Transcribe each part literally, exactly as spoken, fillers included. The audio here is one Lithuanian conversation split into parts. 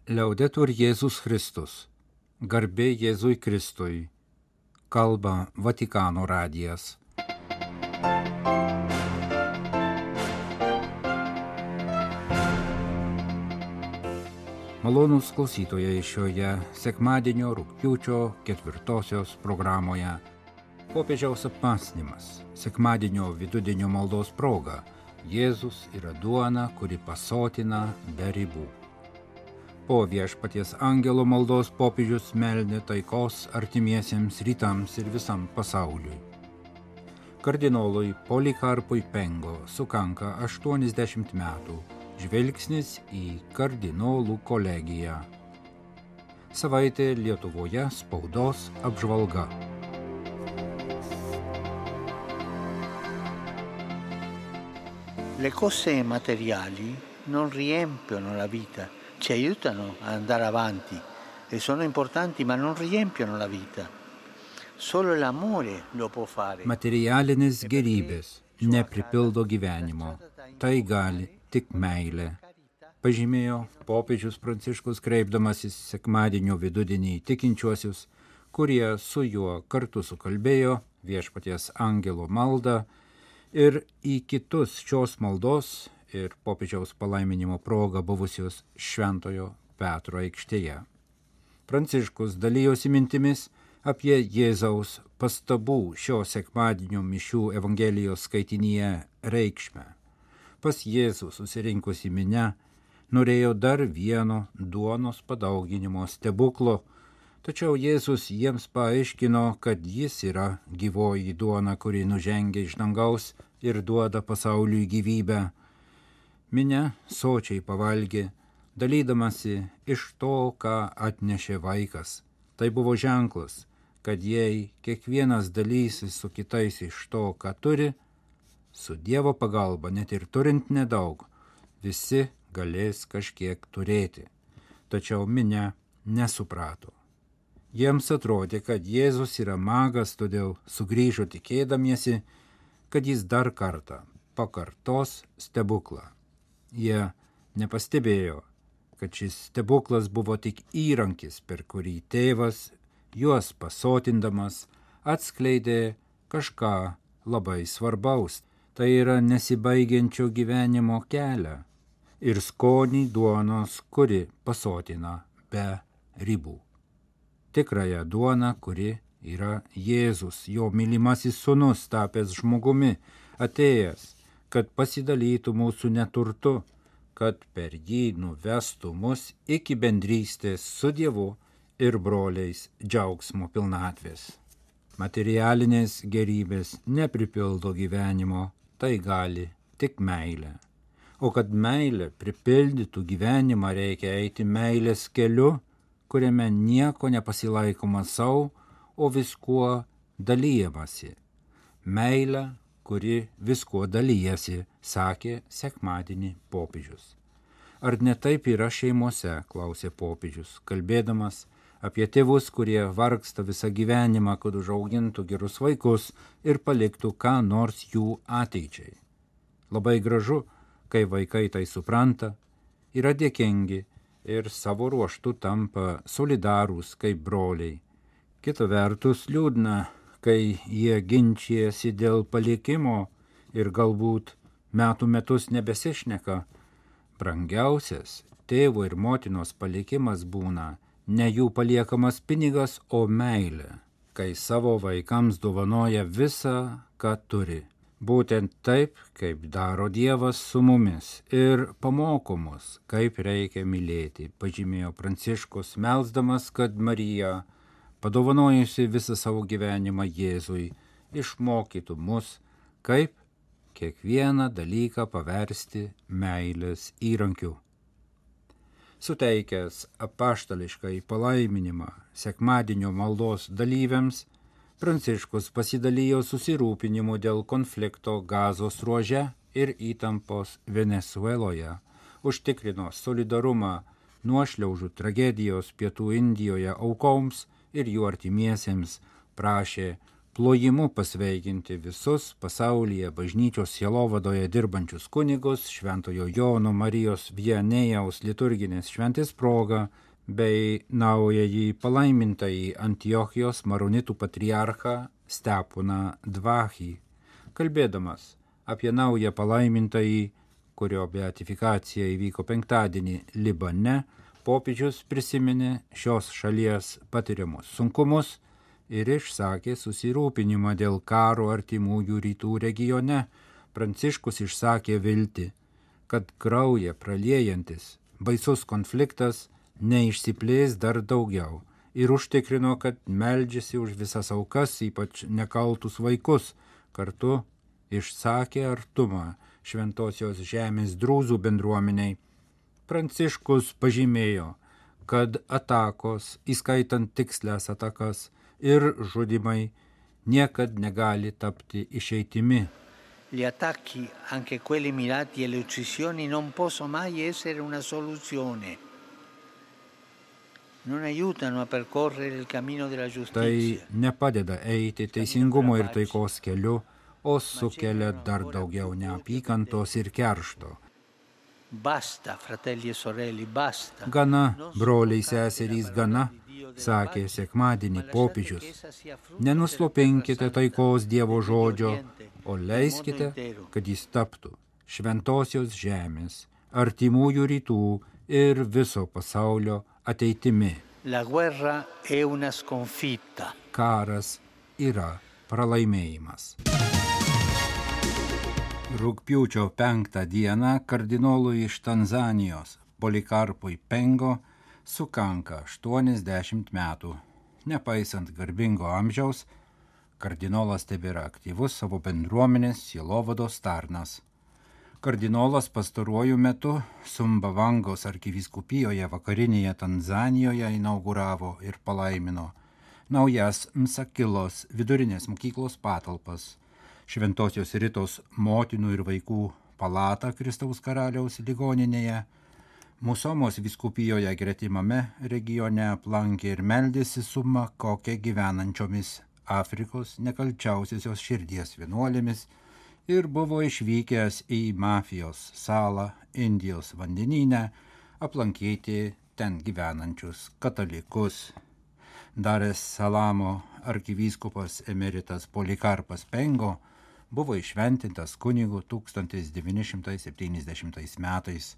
Liaudetur Jėzus Kristus. Garbė Jėzui Kristui. Kalba Vatikano radijas. Malonūs klausytojai šioje sekmadienio rugpjūčio ketvirtosios programoje. Popiežiaus apmąstymas. Sekmadienio vidudienio maldos proga. Jėzus yra duona, kuri pasotina be ribų. Po Viešpaties angelo maldos popiežius meldė taikos artimiesiems rytams ir visam pasauliui. Kardinolui Polikarpui Pengo sukanka aštuoniasdešimt metų. Žvilgsnis į kardinolų kolegiją. Savaitė Lietuvoje spaudos apžvalga. Le cose materiali non riempiono la vita, ci aiutano ad andare avanti e sono importanti, ma non riempiono la vita. Solo l'amore lo può fare. Materialinės gerybės nepripildo gyvenimo. Tai gali tik meilė. Pažymėjo popiežius Pranciškus kreipdamasis sekmadienio vidudienį tikinčiuosius, kurie su juo kartu sukalbėjo Viešpaties angelo maldą ir į kitus šios maldos ir popiežiaus palaiminimo proga buvusios Šventojo Petro aikštėje. Pranciškus dalijosi mintimis apie Jėzaus pastabų šio sekmadienio mišių Evangelijos skaitinyje reikšmę. Pas Jėzų susirinkusi minia norėjo dar vieno duonos padauginimo stebuklo, tačiau Jėzus jiems paaiškino, kad jis yra gyvoji duona, kuri nužengia iš dangaus ir duoda pasauliui gyvybę. Minia sočiai pavalgė, dalydamasi iš to, ką atnešė vaikas. Tai buvo ženklas, kad jei kiekvienas dalysis su kitais iš to, ką turi, su Dievo pagalba, net ir turint nedaug, visi galės kažkiek turėti. Tačiau minia nesuprato. Jiems atrodė, kad Jėzus yra magas, todėl sugrįžo tikėdamiesi, kad jis dar kartą pakartos stebuklą. Jie nepastebėjo, kad šis stebuklas buvo tik įrankis, per kurį tėvas, juos pasotindamas, atskleidė kažką labai svarbaus. Tai yra nesibaigiančio gyvenimo kelią ir skonį duonos, kuri pasotina be ribų. Tikrąją duoną, kuri yra Jėzus, jo mylimasis sūnus, tapęs žmogumi, atėjęs, kad pasidalytų mūsų neturtu, kad per jį nuvestų mus iki bendrystės su Dievu ir broliais džiaugsmo pilnatvės. Materialinės gerybės nepripildo gyvenimo, tai gali tik meilė. O kad meilė pripildytų gyvenimą, reikia eiti meilės keliu, kuriame nieko nepasilaikoma savo, o viskuo dalyjamasi. Meilė, kuri viskuo dalyjasi, sakė sekmadienį popiežius. Ar ne taip yra šeimose, klausė popiežius, kalbėdamas apie tėvus, kurie vargsta visą gyvenimą, kad užaugintų gerus vaikus ir paliktų ką nors jų ateičiai. Labai gražu, kai vaikai tai supranta, yra dėkingi ir savo ruoštų tampa solidarūs kaip broliai. Kita vertus liūdna, kai jie ginčijasi dėl palikimo ir galbūt metų metus nebesišneka. Brangiausias tėvo ir motinos palikimas būna ne jų paliekamas pinigas, o meilė, kai savo vaikams dovanoja visą, ką turi. Būtent taip, kaip daro Dievas su mumis ir pamoko mus, kaip reikia mylėti, pažymėjo Pranciškus, melsdamas, kad Marija, padovanojusi visą savo gyvenimą Jėzui, išmokytų mus, kaip kiekvieną dalyką paversti meilės įrankiu. Suteikęs apaštališkai palaiminimą sekmadienio maldos dalyviams, Pranciškus pasidalijo susirūpinimu dėl konflikto Gazos ruože ir įtampos Venesueloje, užtikrino solidarumą nuošliaužų tragedijos Pietų Indijoje aukoms ir jų artimiesiems, prašė plojimu pasveikinti visus pasaulyje bažnyčios sielovadoje dirbančius kunigus Šventojo Jono Marijos Viannėjaus liturginės šventės proga bei naująjį palaimintąjį Antiochijos maronitų patriarchą Steponą Dvachį. Kalbėdamas apie naują palaimintąjį, kurio beatifikacija įvyko penktadienį Libane, popiežius prisiminė šios šalies patiriamus sunkumus ir išsakė susirūpinimą dėl karo artimųjų rytų regione. Pranciškus išsakė viltį, kad kraują praliejantis baisus konfliktas neišsiplės dar daugiau ir užtikrino, kad meldžiasi už visas aukas, ypač nekaltus vaikus. Kartu išsakė artumą Šventosios žemės drūzų bendruomeniai. Pranciškus pažymėjo, kad atakos, įskaitant tikslės atakas ir žudimai, niekad negali tapti išeitimi. Gli attacchi, anche quelli mirati alle uccisioni, non possono mai essere una soluzione. Non aiutano a percorrere il cammino della giustizia. Tai nepadeda eiti teisingumo ir taikos keliu, o sukelia dar daugiau neapykantos ir keršto. Basta, fratelli e sorelle, basta. Gana, broliai seserys, gana, sakė sekmadienį popiežius. Nenuslopinkite taikos Dievo žodžio, o leiskite, kad jis taptų šventosios žemės, artimųjų rytų ir viso pasaulio ateitimi. La guerra è una sconfitta. Karas yra pralaimėjimas. Rugpjūčio penktą dieną kardinolui iš Tanzanijos Polikarpui Pengo sukanka aštuoniasdešimt metų. Nepaisant garbingo amžiaus, kardinolas tebėra aktyvus savo bendruomenės sielovados tarnas. Kardinolas pastaruoju metu Sumbavangos arkivyskupijoje vakarinėje Tanzanijoje inauguravo ir palaimino naujas Msakilos vidurinės mokyklos patalpas, Šventosios Ritos motinų ir vaikų palatą Kristaus karaliaus ligoninėje, Musomos vyskupijoje gretimame regione aplankė ir meldėsi su Makoke gyvenančiomis Afrikos nekalčiausiosios širdies vienuolėmis ir buvo išvykęs į Mafijos salą Indijos vandenyne aplankyti ten gyvenančius katalikus. Dar es Salamo arkivyskupas emeritas Polikarpas Pengo buvo išventintas kunigu tūkstantis devyni šimtai septyniasdešimtais metais.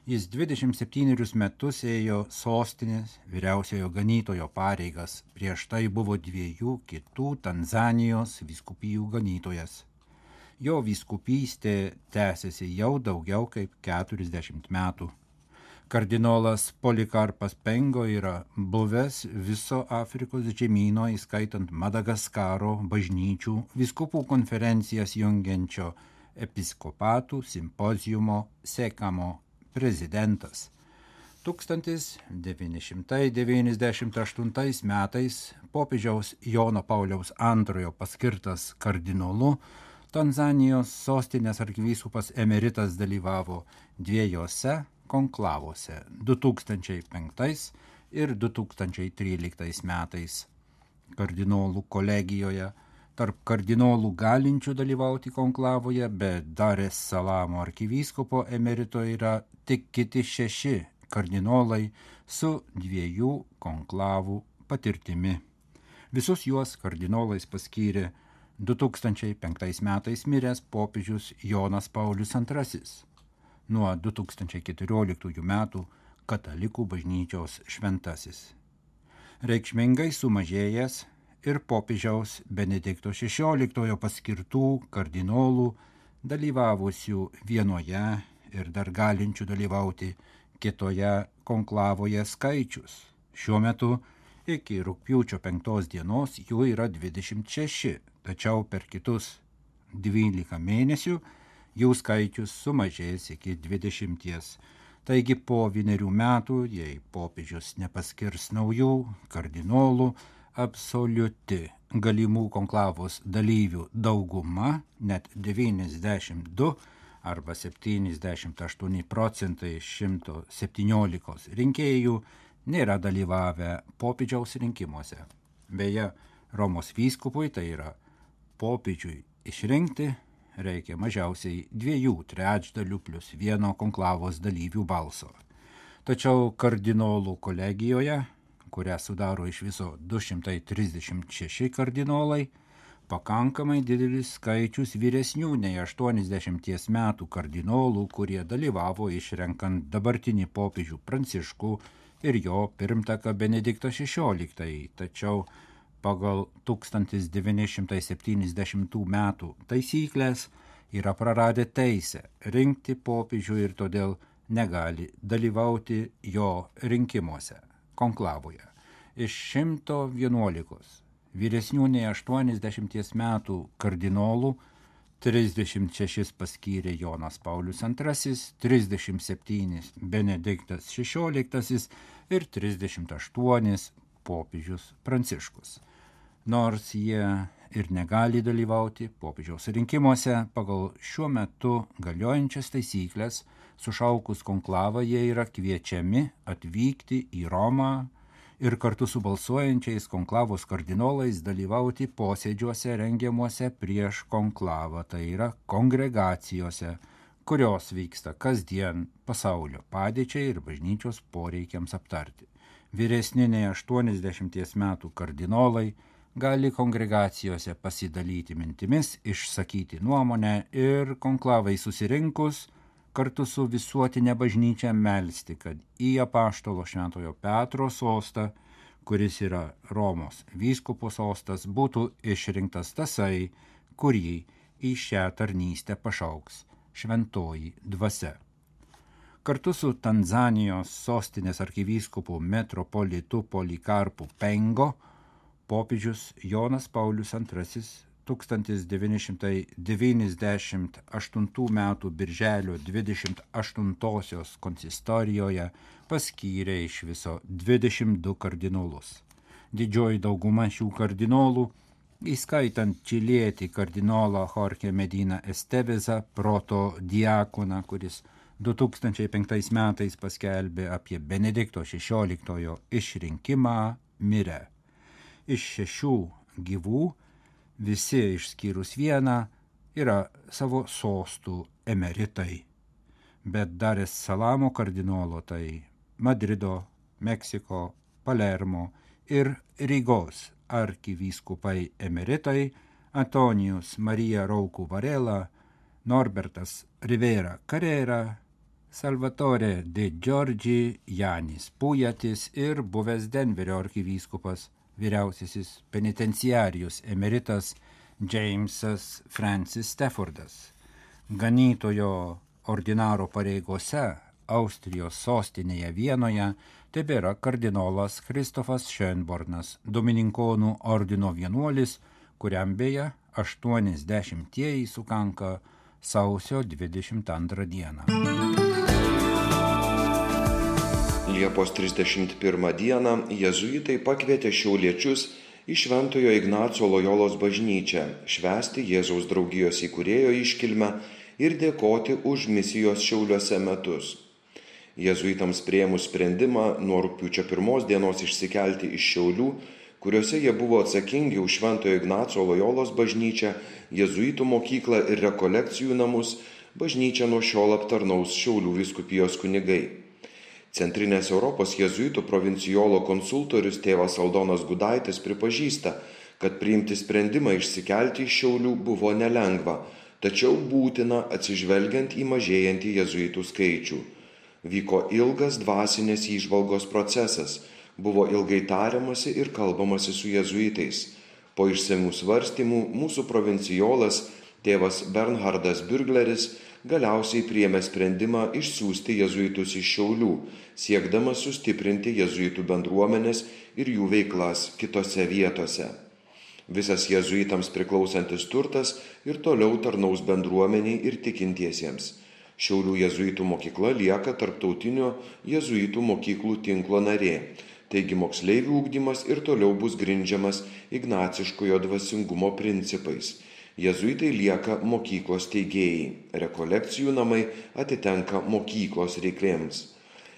Jis dvidešimt septynerius metus ėjo sostinės vyriausiojo ganytojo pareigas, prieš tai buvo dviejų kitų Tanzanijos vyskupijų ganytojas. Jo vyskupystė tęsiasi jau daugiau kaip keturiasdešimt metų. Kardinolas Polikarpas Pengo yra buvęs viso Afrikos žemyno, įskaitant Madagaskaro bažnyčių vyskupų konferencijas jungiančio episkopatų simpoziumo Sekamo prezidentas. tūkstantis devyni šimtai devyniasdešimt aštuntais metais popiežiaus Jono Pauliaus antrojo paskirtas kardinolu Tanzanijos sostinės arkivyskupas emeritas dalyvavo dviejose konklavose du tūkstančiai penktais ir du tūkstančiai tryliktais metais. Kardinolų kolegijoje tarp kardinolų galinčių dalyvauti konklavoje, bet Dar es Salamo arkivyskupo emerito yra tik kiti šeši kardinolai su dviejų konklavų patirtimi. Visus juos kardinolais paskyrė du tūkstančiai penktais metais miręs popiežius Jonas Paulius antrasis. Nuo du tūkstančiai keturioliktųjų metų katalikų bažnyčios šventasis. Reikšmingai sumažėjęs ir popiežiaus Benedikto šešioliktojo paskirtų kardinolų dalyvavusių vienoje ir dar galinčių dalyvauti kitoje konklavoje skaičius. Šiuo metu iki rugpjūčio penktos dienos jų yra dvidešimt šeši, tačiau per kitus dvylika mėnesių jų skaičius sumažės iki dvidešimties. Taigi po vienerių metų, jei popiežius nepaskirs naujų kardinolų, absoliuti galimų konklavos dalyvių dauguma, net devyniasdešimt du arba septyniasdešimt aštuoni procentai iš šimto septyniolikos rinkėjų, nėra dalyvavę popiežiaus rinkimuose. Beje, Romos vyskupui, tai yra popiežiui išrinkti, reikia mažiausiai dviejų trečdalių plus vieno konklavos dalyvių balso. Tačiau kardinolų kolegijoje, kurią sudaro iš viso du šimtai trisdešimt šeši kardinolai, pakankamai didelis skaičius vyresnių nei aštuoniasdešimties metų kardinolų, kurie dalyvavo išrenkant dabartinį popiežių Pranciškų ir jo pirmtaką Benediktą šešioliktąjį, tačiau pagal tūkstantis devyni šimtai septyniasdešimtų metų taisyklės yra praradę teisę rinkti popiežių ir todėl negali dalyvauti jo rinkimuose, konklavoje. Iš šimto vienuolikos vyresnių nei aštuoniasdešimties metų kardinolų trisdešimt šešis paskyrė Jonas Paulius antrasis, trisdešimt septynis Benediktas šešioliktasis ir trisdešimt aštuonis popiežius Pranciškus. Nors jie ir negali dalyvauti popiežiaus rinkimuose, pagal šiuo metu galiojančias taisyklės, sušaukus konklavą jie yra kviečiami atvykti į Romą ir kartu su balsuojančiais konklavos kardinolais dalyvauti posėdžiuose rengiamuose prieš konklavą, tai yra kongregacijose, kurios vyksta kasdien pasaulio padėčiai ir bažnyčios poreikiams aptarti. Vyresni nei aštuoniasdešimties metų kardinolai gali kongregacijose pasidalyti mintimis, išsakyti nuomonę ir konklavai susirinkus kartu su visuotinė bažnyčia melsti, kad į apaštalo Šventojo Petro sostą, kuris yra Romos vyskupo sostas, būtų išrinktas tasai, kurį į šią tarnystę pašauks šventoji dvasia. Kartu su Tanzanijos sostinės arkivyskupu metropolitu Polikarpu Pengo, popiežius Jonas Paulius antrasis tūkstantis devyni šimtai devyniasdešimt aštuntų metų birželio dvidešimt aštuntosios konsistorijoje paskyrė iš viso dvidešimt du kardinolus. Didžioji dauguma šių kardinolų, įskaitant čilietį kardinolą Jorge Medina Estevezą, proto diakoną, kuris du tūkstančiai penktais metais paskelbė apie Benedikto šešioliktojo išrinkimą, mirė. Iš šešių gyvų visi išskyrus vieną yra savo sostų emeritai, bet Dar es Salamo kardinolo, tai Madrido, Meksiko, Palermo ir Rygos arkivyskupai emeritai Antonijus Marija Rauku Varela, Norbertas Rivera Carrera, Salvatore de Giorgi, Janis Pujatis ir buvęs Denverio arkivyskupas vyriausiasis penitenciarijus emeritas Jamesas Francis Staffordas. Ganytojo ordinaro pareigose Austrijos sostinėje Vienoje tebėra kardinolas Kristofas Schönbornas, Domininkonų ordino vienuolis, kuriam beje aštuoniasdešimtieji sukanka sausio dvidešimt antrą dieną. Liepos trisdešimt pirmą dieną jėzuitai pakvietė šiauliečius į Šventojo Ignaco Lojolos bažnyčią švęsti Jėzaus draugijos įkūrėjo iškilmę ir dėkoti už misijos Šiauliuose metus. Jėzuitams priėmus sprendimą nuo rugpjūčio pirmos dienos išsikelti iš Šiaulių, kuriuose jie buvo atsakingi už Šventojo Ignaco Lojolos bažnyčią, jėzuitų mokyklą ir rekolekcijų namus, bažnyčią nuo šiol aptarnaus Šiaulių vyskupijos kunigai. Centrinės Europos jėzuitų provincijolo konsultorius tėvas Aldonas Gudaitis pripažįsta, kad priimti sprendimą išsikelti iš Šiaulių buvo nelengva, tačiau būtina atsižvelgiant į mažėjantį jėzuitų skaičių. Vyko ilgas dvasinės įžvalgos procesas, buvo ilgai tariamasi ir kalbamasi su jėzuitais. Po išsamių svarstymų mūsų provincijolas tėvas Bernhardas Bürgleris galiausiai priėmė sprendimą išsiųsti jėzuitus iš Šiaulių, siekdamas sustiprinti jėzuitų bendruomenės ir jų veiklas kitose vietose. Visas jėzuitams priklausantis turtas ir toliau tarnaus bendruomeniai ir tikintiesiems. Šiaulių jėzuitų mokykla lieka tarptautinio jėzuitų mokyklų tinklo narė, taigi moksleivių ugdymas ir toliau bus grindžiamas ignaciškojo dvasingumo principais. Jėzuitai lieka mokyklos steigėjai, rekolekcijų namai atitenka mokyklos reikmėms.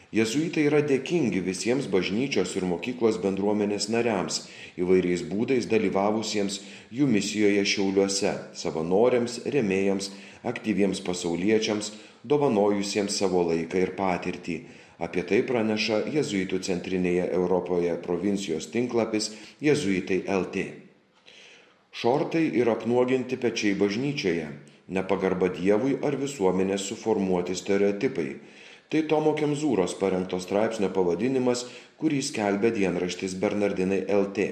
Jėzuitai yra dėkingi visiems bažnyčios ir mokyklos bendruomenės nariams, įvairiais būdais dalyvavusiems jų misijoje Šiauliuose, savanoriams, rėmėjams, aktyviems pasauliečiams, dovanojusiems savo laiką ir patirtį. Apie tai praneša Jėzuitų centrinėje Europoje provincijos tinklapis Jėzuitai L T. Šortai ir apnuoginti pečiai bažnyčioje, nepagarba Dievui ar visuomenės suformuoti stereotipai. Tai Tomo Kemzūros parengto straipsnio pavadinimas, kurį skelbia dienraštis Bernardinai L T.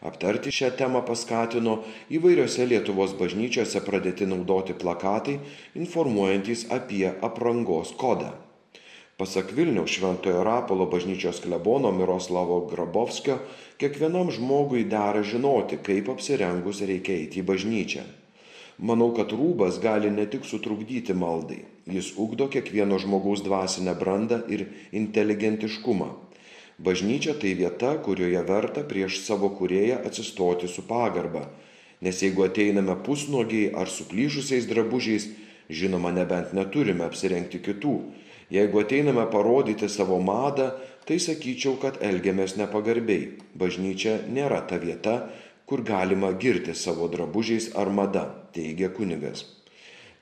Aptarti šią temą paskatino įvairiose Lietuvos bažnyčiose pradėti naudoti plakatai, informuojantys apie aprangos kodą. Pasak Vilniaus Šventojo Rapolo bažnyčios klebono Miroslavo Grabovskio, kiekvienam žmogui dera žinoti, kaip apsirengus reikia eiti į bažnyčią. Manau, kad rūbas gali ne tik sutrukdyti maldai, jis ugdo kiekvieno žmogaus dvasinę brandą ir inteligentiškumą. Bažnyčia tai vieta, kurioje verta prieš savo kūrėją atsistoti su pagarba, nes jeigu ateiname pusnuogiai ar suplyšusiais drabužiais, žinoma, nebent neturime apsirengti kitų. Jeigu ateiname parodyti savo madą, tai sakyčiau, kad elgiamės nepagarbiai. Bažnyčia nėra ta vieta, kur galima girti savo drabužiais ar mada, teigia kunigas.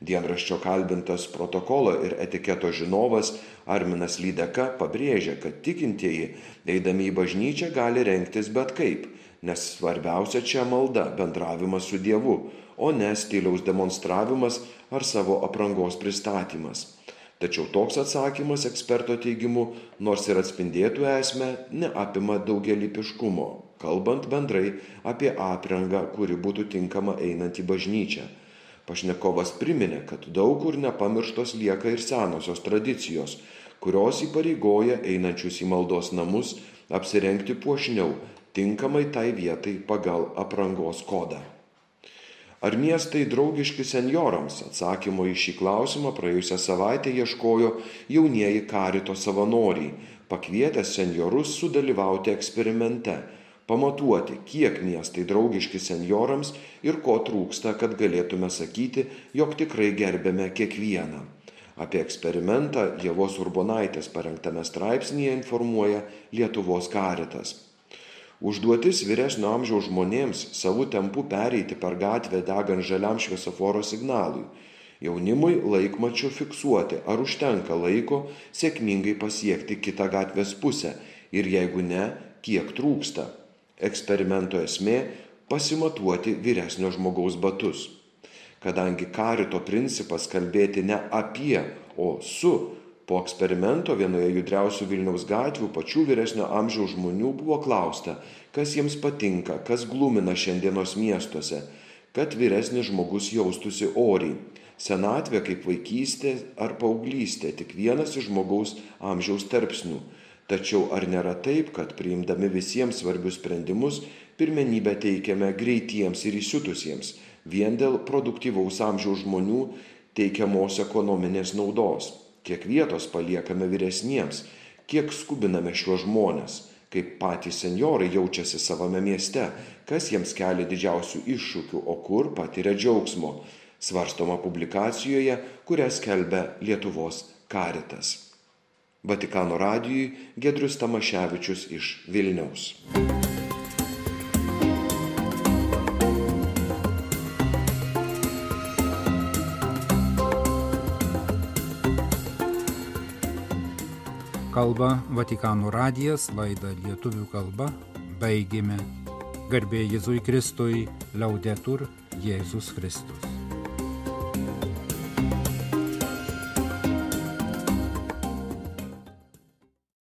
Dienraščio kalbintas protokolo ir etiketo žinovas Arminas Lydeka pabrėžia, kad tikintieji, eidami į bažnyčią, gali rengtis bet kaip, nes svarbiausia čia malda, bendravimas su Dievu, o ne stiliaus demonstravimas ar savo aprangos pristatymas. Tačiau toks atsakymas eksperto teigimu, nors ir atspindėtų esmę, neapima daugialypiškumo, kalbant bendrai apie aprangą, kuri būtų tinkama einant į bažnyčią. Pašnekovas priminė, kad daug kur nepamirštos lieka ir senosios tradicijos, kurios įpareigoja einančius į maldos namus apsirengti puošniau, tinkamai tai vietai pagal aprangos kodą. Ar miestai draugiški senjorams? Atsakymo į šį klausimą praėjusią savaitę ieškojo jaunieji karito savanoriai, pakvietę senjorus sudalyvauti eksperimente, pamatuoti, kiek miestai draugiški senjorams ir ko trūksta, kad galėtume sakyti, jog tikrai gerbėme kiekvieną. Apie eksperimentą Ievos Urbonaitės parengtame straipsnyje informuoja Lietuvos karitas. Užduotis vyresnio amžiaus žmonėms savų tempų pereiti per gatvę degant žaliam šviesoforo signalui. Jaunimui laikmačiu fiksuoti, ar užtenka laiko sėkmingai pasiekti kitą gatvės pusę ir jeigu ne, kiek trūksta. Eksperimento esmė – pasimatuoti vyresnio žmogaus batus. Kadangi karito principas kalbėti ne apie, o su, po eksperimento vienoje judriausių Vilniaus gatvių pačių vyresnio amžiaus žmonių buvo klausta, kas jiems patinka, kas glumina šiandienos miestuose, kad vyresnis žmogus jaustųsi oriai. Senatvė kaip vaikystė ar paauglystė, tik vienas iš žmogaus amžiaus tarpsnių. Tačiau ar nėra taip, kad priimdami visiems svarbius sprendimus, pirmenybę teikiame greitiems ir įsiutusiems, vien dėl produktyvaus amžiaus žmonių teikiamos ekonominės naudos? Kiek vietos paliekame vyresniems, kiek skubiname šiuos žmones, kaip patys senjorai jaučiasi savame mieste, kas jiems kelia didžiausių iššūkių, o kur patiria džiaugsmo, svarstoma publikacijoje, kurią skelbia Lietuvos karitas. Vatikano radijui Giedrius Tamaševičius iš Vilniaus. Kalba Vatikano radijas, laidą lietuvių kalba, baigėme. Garbė Jėzui Kristui, Laudetur Jėzus Kristus.